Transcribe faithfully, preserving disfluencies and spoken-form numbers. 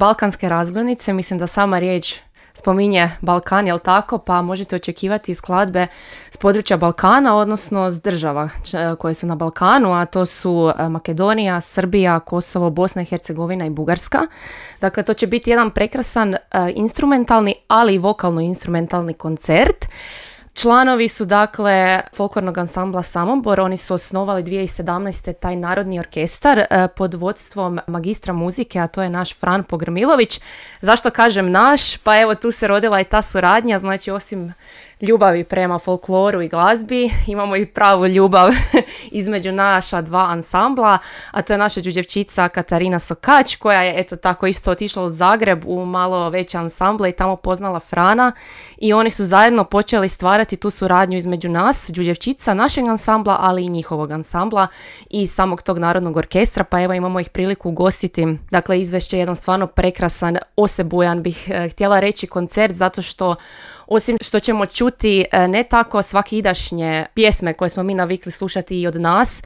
Balkanske razglednice, mislim da sama riječ spominje Balkan, jel tako, pa možete očekivati skladbe s područja Balkana, odnosno s država koje su na Balkanu, a to su Makedonija, Srbija, Kosovo, Bosna i Hercegovina i Bugarska. Dakle, to će biti jedan prekrasan uh, instrumentalni, ali i vokalno-instrumentalni koncert. Članovi su dakle folklornog ansambla Samobor, oni su osnovali dvije tisuće sedamnaeste. taj narodni orkestar eh, pod vodstvom magistra muzike, a to je naš Fran Pogrmilović. Zašto kažem naš? Pa evo tu se rodila i ta suradnja, znači osim ljubavi prema folkloru i glazbi, imamo i pravu ljubav između naša dva ansambla, a to je naša đuđevčica Katarina Sokać, koja je eto tako isto otišla u Zagreb u malo veće ansamble i tamo poznala Frana i oni su zajedno počeli stvarati tu suradnju između nas, đuđevčica, našeg ansambla, ali i njihovog ansambla i samog tog narodnog orkestra, pa evo imamo ih priliku ugostiti. Dakle, izvešće je jedan stvarno prekrasan, osebujan bih eh, htjela reći koncert, zato što osim što ćemo čuti ne tako svakidašnje pjesme koje smo mi navikli slušati i od nas,